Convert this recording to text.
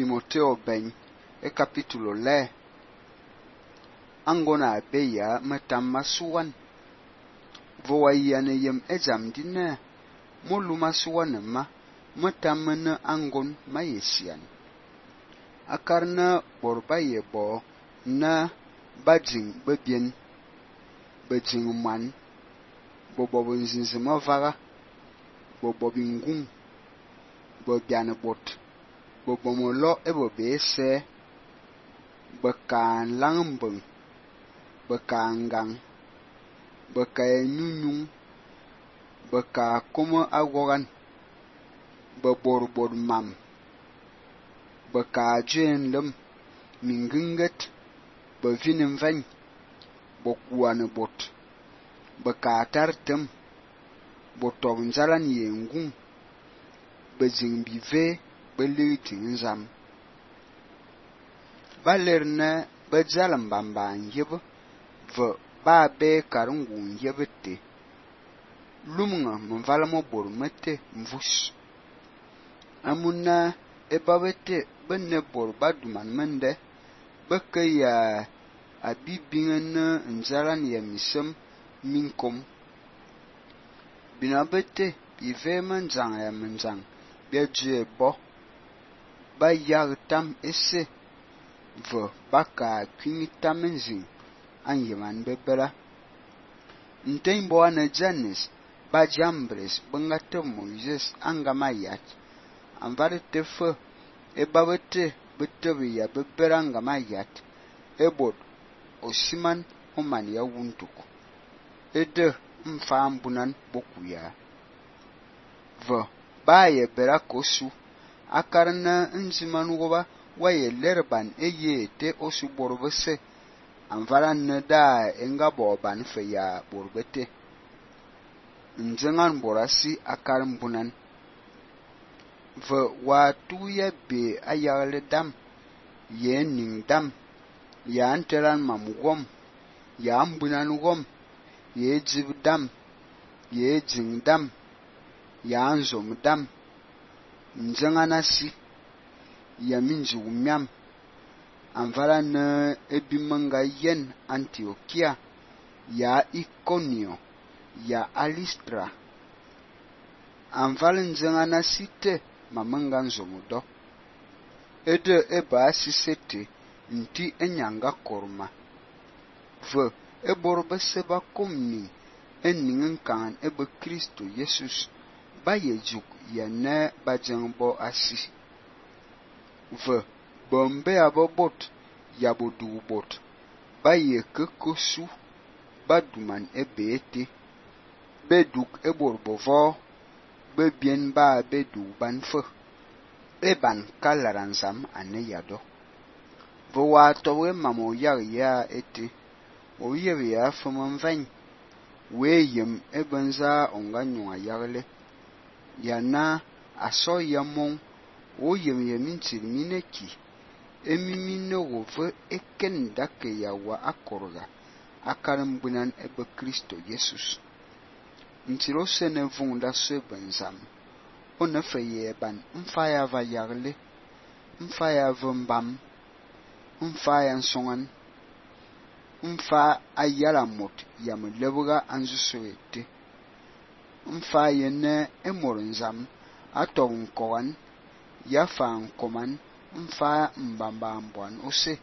Timoteo ben e capítulo le angona beya matam masuwan vowa yana yem ejam dinne mulu masuwan ma matam na angon mayesian akarna borba yebo na bajing bebien bajing man bobo nzinzima vaga bobo bingung bobiane bot bobo molo ebo bese bakan langbeng bakan gang baka nyunyung baka kuma agogan baborbor mam baka jen lem minginget bavinin van bokuane bot baka tartem botob nzalan yengung bajing bive belitin zam balerna bajalam bamban yeb ve ba be karungun yebete lumnga mvalamo bor mete mvus amuna ebabete benne bor baduman mende bakaya abibingen nzalan yemisem minkom binabete bive manjang ya manjang biaje bo ba yagtam ese ve baka kwinitam nzing anyeman bebela ntembo ana Janis ba jambres bangate Moses angamayat anvare tefe ebabete betebi ya bebera angamayat ebot osiman oman ya wuntuku ede mfambunan bokuya ve ba ye berakosu akarna nziman woba waye lerban eyete osu borbese anvaran neda enga boban fe ya borbete njengan borasi akaran bunan ve watu ya be ayagle dam ye ning dam ya anteran mamugom ya ambunan gom ye jib dam ye jing dam ya anzom dam njenganasi ya minji umyam anvala na ebimanga yen Antiochia ya Iconio ya Alistra anvala nzengana site mamanga nzomudo ede eba sisete nti enyanga korma ve eborba seba komni eningen kan ebe Kristo Jesus ba yejuk ya ne bajengbo asi ve bombe abobot yabodu bot baye kekosu baduman ebete beduk eborbovo bebien ba bedu banfe eban kalaranzam ane yado vo watowe mamo ya ete o ya fomon van weyem ebenza onganyo ayagle yana aso yamon o yemintir mineki emimine wove eken dake yawa akorga akaram bunan ebe Kristo Jesus ntiro sene vunda se benzam ona feye ban mfaya va yagle mfaya vumbam mfaya nsongan mfa ayala mot yamlebuga anzusoete mfaya ne emorinzam atong kowan yafan koman mfa mbamba mbwan ose